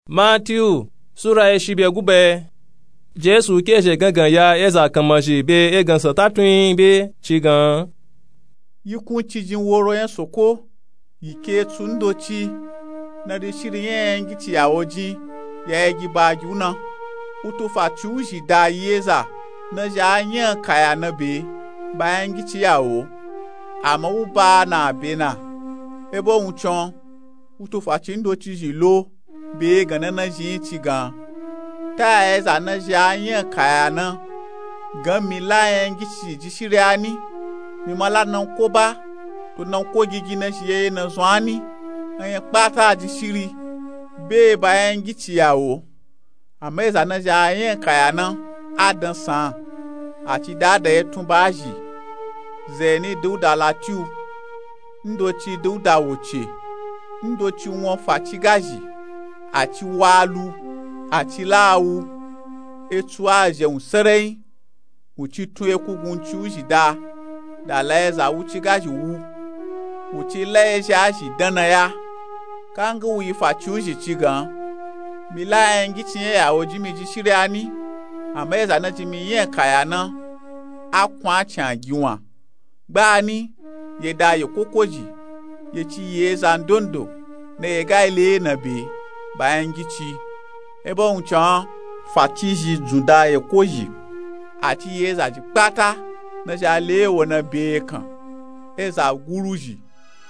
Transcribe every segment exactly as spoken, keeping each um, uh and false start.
Matiyu sura eshi be gube. Jesu ke zhe gangan ya eza kanmazhi be egansan tatunyi be ci gan. Yikun ci jin woro nya soko yi ke tsu ndoci na di shiri nya nya ngici ya wo jin ya egi ba gi wu na. Wu tu fa ci wu zhi da yi eza na zhi a nya kaya na be ba nya ngici ya wo. Ama wu ba na be na ebo wuncin wu tu fa ci ndoci zhi lo be gan na na zhi yin ci gan. Ta ya eza na zhi a nya kaya na gan mi la nya ngici ji shiri a ni? Mi ma la nanko ba to nanko gigi na zhi ye ye na zun a ni? Nya kpata ji shiri be ba nya ngici ya wo. Ama eza na zhi a nya kaya na a dan san a ci da da ye tun ba zhi. Zeni duda latiyu ndoci duda woce ndoci won fa ci gazhi a ci wa lu a ci la wu. Etsu a zhe wun sereyin wu ci tun eku gun ci wu zhi da da la eza wu ci gazhi wu. Wu ci la eza a zhi dan na ya. Kanga wu yi fa ci wu zhi ci gan mi la nya ngici nya ya wo jin mi ji shiri a ni? Ama eza na jin mi nya kaya na a kun a cin a gi wan. Gba ni ye da ye koko zhi ye ci ye eza ndondo na ye ga le na be ba nya ngici. Ebo wuncin fa ci zhi dzun da ye ko zhi a ci ye eza zhi kpata na zhi a le wo na be ye kan. Eza guru zhi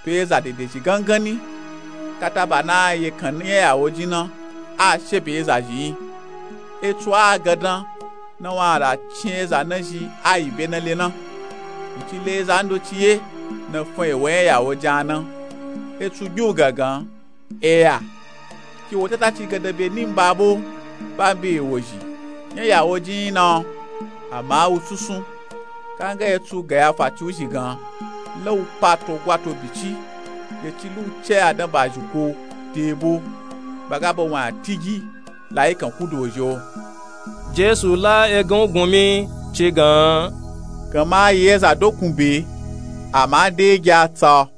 to eza dede zhi gangan ni. Kata ba na ye kan nya ya wo jin na a she be eza zhi yin. Etsu a gandan na won a da cin eza na zhi a yi be na le na. Wu ci le eza ndoci ye na fun ewo nya ya wo jin a na. Etsu gbi wu gangan eya ki wo tata ci gandan be ni mba bo ba mbe ewo zhi nya ya wo jin yin na. Ama a wu susun kanga etsu gan ya fa ci wu zhi gan la wu pa to gwa to bici ye ci lu ce a dan ba zhi ko de bo ba ga ba won a tigi la yi kan ku do zhi o. Jesu la egan wu gun mi ci gan. Gan ma a yi eza dokun be ama a de gi a tsa o.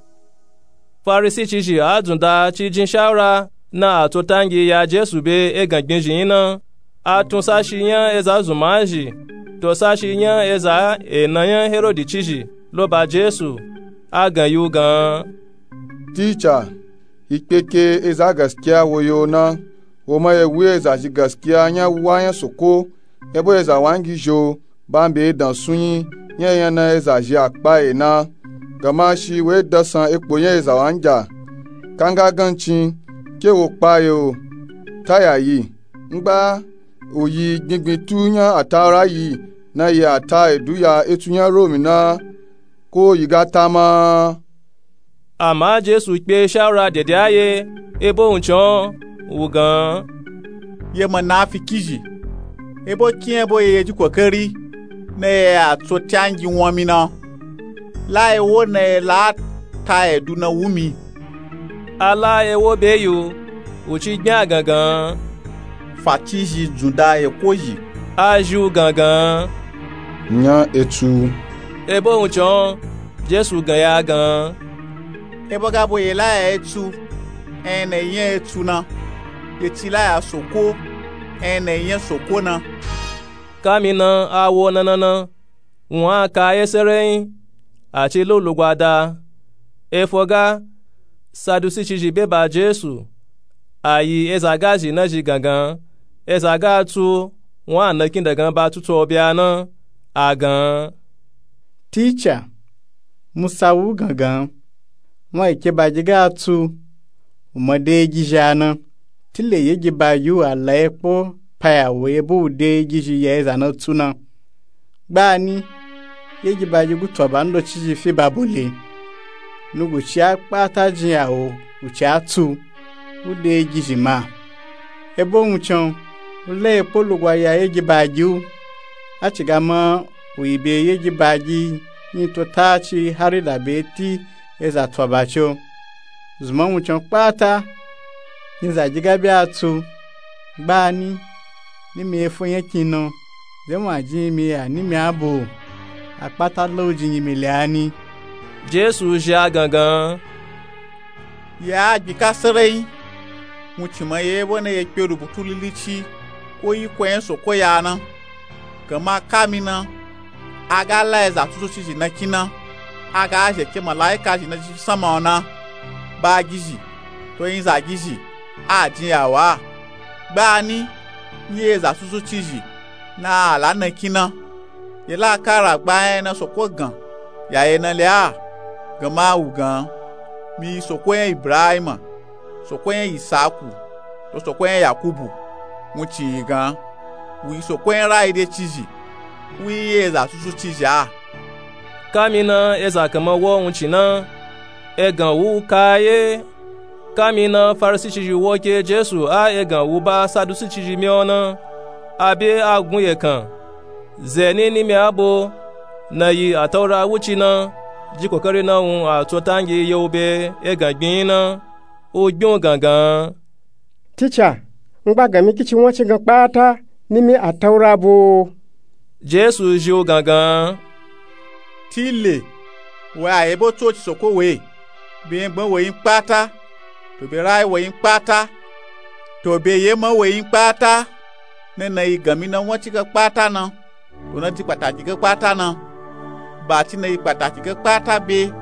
Farisi ci zhi a dzun da ci jin shawura na a tso tangi ya Jesu be egan gbin zhi yin na. A tun sashi nya eza zunma zhi to sashi nya eza ena nya Herodi ci zhi lo ba Jesu. A gan yi wu gan. Tica yi kpeke eza gaskiya wo yo na. Wo ma ye wu eza zhi gaskiya nya wu a nya soko ebo eza wangi zho ba mbe edan sunyi nya nya na eza zhi a kpa ye na. Gan ma shi wo edan san ekpo nya eza wangi a kanga gancin ke wo kpa ye o. Ta ya yi ngba o yi gbingbin tu nya atawura yi na yi a ta edu ya etsu nya romi na ko yi ga ta ma. Ama Jesu kpe shawura dede a ye ebo wuncin wu gan. Ye ma na fi ki zhi ebo ki nya bo ye ye ji kokari na ye a tso tangi won mi na. La ewo na ye la a ta edu na wu mi. A la ewo be yi wu wu ci gbin a gangan. Fa ci zhi dzun da ye ko zhi a zhi wu gangan. Nya etsu ebo wuncin Jesu gan ya gan. Ebo ga bo ye la ya etsu enya na ye nya etsu na ye ci la ya soko enya na ye nya soko na. Kami na a wo na na na wun a ka ye sereyin a ci lu lugwa da. Efo ga sadusi ci zhi be ba Jesu a yi eza ga zhi na zhi gangan. Eza ga tsu wun a na kinda gan ba tsutso bya na a gan. Tica musa wu gangan wun a yi ke ba gi ga tsu wu ma de gi zhi a na. Tile ye gi ba gi wu a la ye kpo pa ya wo ye bo wu de gi zhi ya eza na tsu na. Gba ni ye gi ba gi gu tso ba ndoci zhi fi ba bo le nugu ci a kpata jin ya wo wu ci a tsu wu de gi zhi ma. Ebo wuncin wu la ye kpo lugwa ya ye gi ba gi wu a ci ga ma wu yi be ye gi ba gi yin to ta ci hari da be ti eza tso ba ci o. Zunma wuncin kpata yin za gi ga be a tsu gba ni ni mi efo nya kin na ze wun a jin yi mi ya ni mi a bo a kpata la wu jin yi mi le a ni. Jesu zhi a gangan. Ya a gbin ka sereyin Wuncin ma ye ebo na ye kpe rubutu lilici ko iko nya soko ya na. Gama kami na a ga la eza tusucizhi na kin na, a ga zhe ke malaika zhi na jifi sanma o na, ba gizhi to nyizagizhi a jin yawa. Gbani nyi eza tusucizhi na a la na kin na. Ye la kara gba nya na soko gan ya ye na le a. Gama a wu gan, mi yi soko nya ibrahima, soko nya isaku, to soko nya yakubu. Wuncin yi gan, wu yi soko nya rayi decizhi, wu yi eza tusucizhi a. Kami na eza kanma wo wuncin na, egan wu ka ye. Kami na farisicizhi wo ke jesu a egan wu ba saducicizhi myi o na, a bye a gun yekan. Ze ni nimi abo na yi ataura wuci na ji kokari na wun a tso tangi ye wu be egan gbin na. U gbin u gangan. Tica, n gba gan mi kici won ci gan kpata nimi ataura bo? Jesu zhi u gangan. Tile, wo a yebo tsoci soko we, be nyengban we nyi kpata, to be rayi we nyi kpata, to be yema we nyi kpata. Na na yi gan mi na won ci gan kpata na, to na di kpataki gan kpata na. Ba ci na yi kpataki gan kpata be,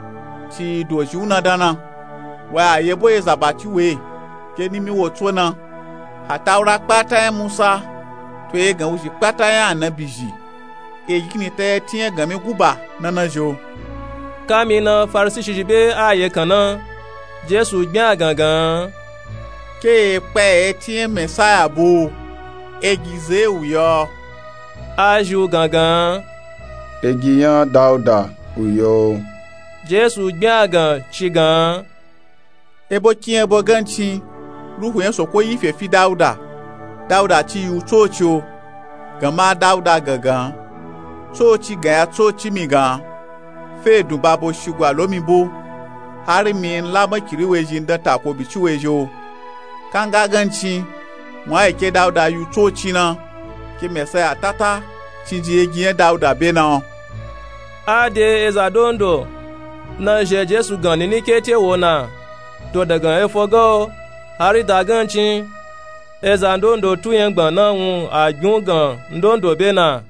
ci yi dozhi u na dan na. Wo a yebo eza ba ci we, ke nimi wo tso na. Ataura kpata nya musa, to egan wuzhi kpata nya anabizhi, egini ta ye ti nya gan mi guba na na zhi o. Kami na farisicizhi be a yekan na, jesu gbin a gangan. Ke ye kpa ye ti nya mesaya bo, egi ze wu yo? A zhi u gangan. Egi nya dauda wu yo. Jesu gbin a gan ci gan. Ebo kin ebo gancin, ruhu nya soko yi fe fi dauda. Dauda ci yi u tsoci o. Gama dauda gangan, tsoci gan ya tsoci mi gan, fe dun babo shigwa lo mi bo, hari mi n la makiri wezhi n dan tako bici wezhi o. Kanga gancin, wun a yi ke dauda yi u tsoci na, ke mesaya tata cinji egi nya dauda be na o. A de eza dondo na zhe jesu gan nini kete wo na, to dagan efo ga o, hari da gancin, eza ndondo tu nyengban na wun a gbin u gan ndondo be na.